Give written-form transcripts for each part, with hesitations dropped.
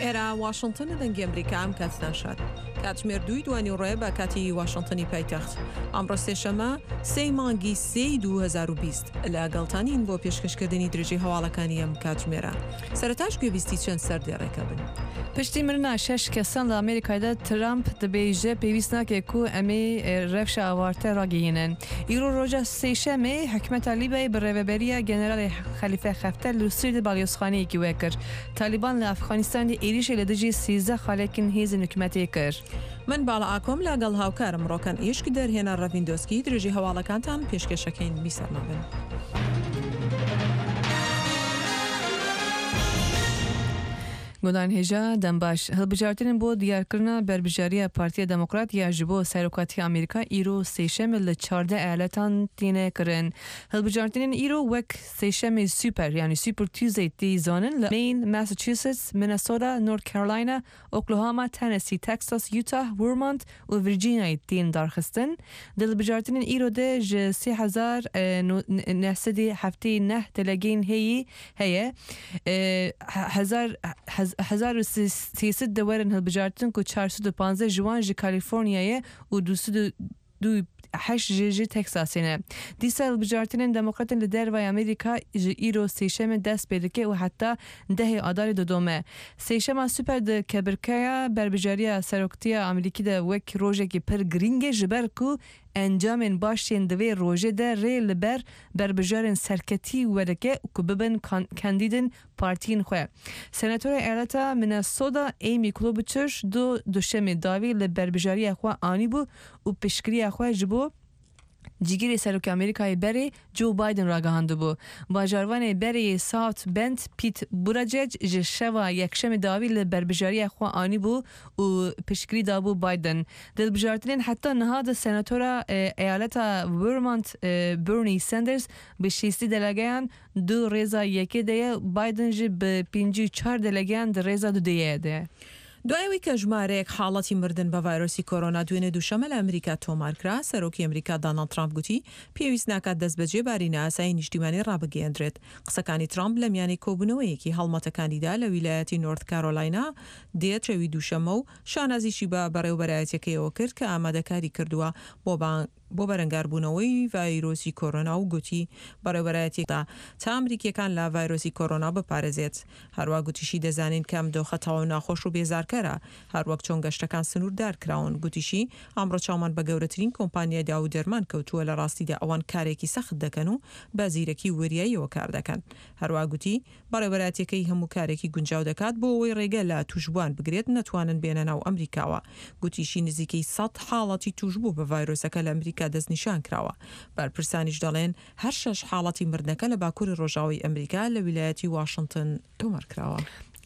ئێرە واشنتنە دەنگی ئەمریکا ئەم کاتتان شاد. کاتژمێر دووی دوانی ڕێ بە کاتی واشنتنی پایتەخت. ئەمڕۆ سێشەمە سێی مانگی سێی 2020 لە گەڵتانین بۆ پێشکەشکردنی درێژەی هەواڵەکانی ئەم کاتژمێرە. سەرەتاش گوێبیستی چەند سەردێڕێکە بن. پشتی مرنا شەش کەسان لە ئەمریکایدا ترامپ دبێژێ پێویست ناکێ کو ئەمێ رەوشە ئاوارتە راگەیێنن. ئیرۆ رۆژا سێشەمێ حکومەتا لیبیایê bi rêveberiya generalê Xelîfe Xefter li Sirtê balyozxaneyekî wekir. Talîban li Efxanistanê êrîşê li dijî 13 xalekên hêzên hikûmetê kir. من باڵا ئاکۆم لەگەڵ هاوکارم ڕۆکەن ئیشک دەرهێنەر ڕەڤین دۆسکی درێژەی هەواڵەکانتان پێشکێشەکەین بیسەرمان بن. Gulan Hêja Dembaş, Hilbijartinên bo diyarkirina berbijariya Partiya Demokrat ya ji bo Serokatiya Amerîka îro sêşemê li 14 eyaletan têne kirin. Hilbijartinên îro wek sêşemê super yanî Super Tuesday tê zanin li Maine, Massachusetts, Minnesota, North Carolina, Oklahoma, Tennessee, Texas, Utah, Vermont û Virginiayê tên darxistin. Di hilbijartinên îro de ji 3979 delegeyên heyî heye. 1300 de werin hilbijartin ku 415 ji wan ji Kaliforniyayê û 208 jê ji Teksasê ne. Dîsa hilbijartinên Demokratên li dervayê Amerîka ji îro sêşemê dest pê dike û heta dehê Adarê didome. Sêşema Super di kebirkeya berbijariya Seroktiya Amerîkî de wek rojekî pir girîng e ji ber ku encamên baş yên di vê rojê de rê li ber berbijarên serketî werike ku bibin kandîdên partiyên xwe. Senatora Eyaleta Minnesota Amy Klobuchar du duşemê dawî li berbijariya xwe anîbû û piştgiriya xwe ji bo Cîgirê Serokê Amerîkayê berê Joe Biden ragihandibû. Bajarvanê berê yê South Bend Pete Buttigieg ji şeva yekşemê dawî li berbijariya xwe anîbû û piştgirî dabû Biden. Di hilbijartinên heta niha de senatora eyaleta Vermont Bernie Sanders bi 60 delegeyan du rêza yekê de ye, Biden jî bi 54 delegeyan di rêza du de ye. دوای ئەوەی کە ژمارەیەک حاڵەتی مردن بە ڤایرۆسی کۆرۆنا دوێنێ دووشەممە لە ئەمریکا تۆمارکرا، سەرۆکی ئەمریکا داناڵد ترامپ گوتی، پێویست ناکات دەستبەجێ باری نائاسایی نیشتیمانی ڕابگەیەندرێت. قسەکانی ترامپ لە میانەی کۆبوونەوەیەکی هەڵمەتەکانیدا لە ویلایەتی نۆرث کارۆلاینا دێت شەوی دووشەممە و شانازیشی بە بەڕێوەبەرایەتیەکەیەوە کرد کە ئامادەکاری کردووە بۆ بۆ بەرەنگاربوونەوەی ڤایرۆسی کۆرۆنا و گوتی، بەڕێوەبەرایەتیەکە تا ئەمریکییەکان لە ڤایرۆسی کۆرۆنا بپارێزێت. هەروا گوتیشی، دەزانین کە ئەم دۆخە تەواو ناخۆش و بێزارکەرە، هەروەک چۆن گەشتەکان سنووردار کراون. گوتیشی، ئەمڕۆ چاومان بە گەورەترین کۆمپانیای داو و دەرمان کەوتووە، لە ڕاستیدا ئەوان کارێکی سەخت دەکەن و بە زیرەکی و وریاییەوە کار دەکەن. هەروا گوتی، بەڕێوەبەرایەتیەکەی هەموو کارێکی گونجاو دەکات بۆ ئەوەی ڕێگە لە تووشبووان بگرێت نەتوانن بێنە ناو ئەمریکاوە. گوتیشی نزیکەی سەد حاڵەتی تووشبوو بە ڤایرۆسەکە لە ئەمریکا دەستنیشان کراوە. بەرپرسانیش دەڵێن هەر شەش حاڵەتی مردنەکە لە باکووری ڕۆژاوای ئەمریکا لە ویلایەتی واشنتن تۆمار کراوە.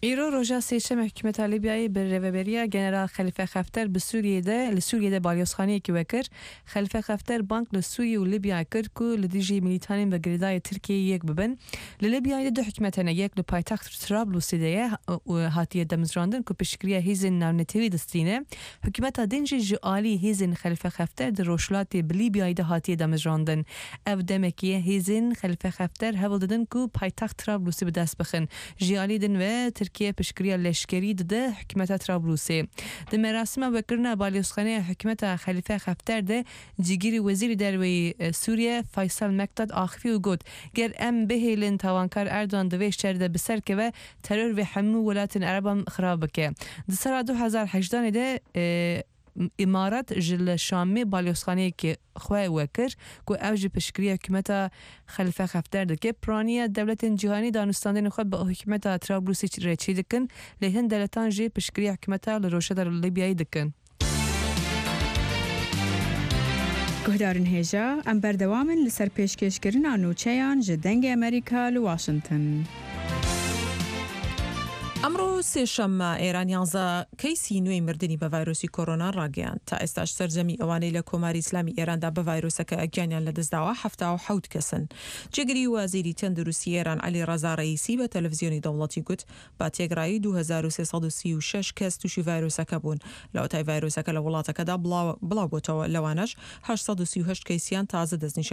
Îro roja sêşemê hikûmeta Lîbyayê bi rêveberiya General Xelîfe Xefter bi Sûriyê de li Sûriyê de balyozxaneyekî wekir. Xelîfe Xefter bang li Sûriyê û Lîbyayê kir ku li dijî milîtanên bi girêdayê Tirkiyeyê yek bibin. Li Lîbyayê de du hikûmet hene, yek li paytext Trablusê de ye û hatiye demizrandin ku piştgiriya hêzên navnetewî distîne. Hikûmeta din jî ji alî hêzên Xelîfe Xefter di rojhilatê bi Lîbyayê de hatiye demizrandin. Ev demekî ye hêzên Xelîfe Xefter hewl didin ku paytext Trablusê bi dest bixin. Ji alî din ve Tirkiye piştgiriya leşkerî dide hikûmeta Trablusê. Di merasima vekirina balyozxaneya hikûmeta Xelîfe Xefter de cîgirê Wezîrê Derveyî Sûriye Faysal Mekdad axivî û got, Ger em bihêlin tawankar Erdogan di vê şerê de bi ser keve, teror vê hemû welatên Ereban xirab bike. Di sala 2018 de Îmarat ji li Şamê balyozxaneyekî xwe wekir ku ew jî piştgiriya hikûmeta Xelîfe Xefter dike. Piraniya dewletên cîhanî danûstandinên xwe bi hikûmeta Trablusê re çêdikin, lê hin dewletan jî piştgiriya hikûmeta li rojhilata Lîbyayê dikin. Guhdarên hêja, em berdewam in li ser pêşkêşkirina nûçeyan ji Dengê Amerîka li Washington. ئەمڕۆ سێشەممە ئێران یانزە کەیسی نوێی مردنی بە ڤایرۆسی کۆرۆنا ڕاگەیاند. تا ئێستاش سەرجەمی ئەوانەی لە کۆماری ئیسلامی ئێراندا بە ڤایرۆسەکە گیانیان لەدەستداوە 77 کەسن. جێگری وەزیری تەندروستی ئێران عەلی ڕەزا ڕەئیسی بە تەلەفزیۆنی دەوڵەتی گوت بە تێکڕایی 2336 کەس تووشی ڤایرۆسەکە بوون لەوەتای ڤایرۆسەکە لە وڵاتەکەدا بڵاوبۆتەوە لەوانەش 838 کەیسیان تازە دەستنیشان.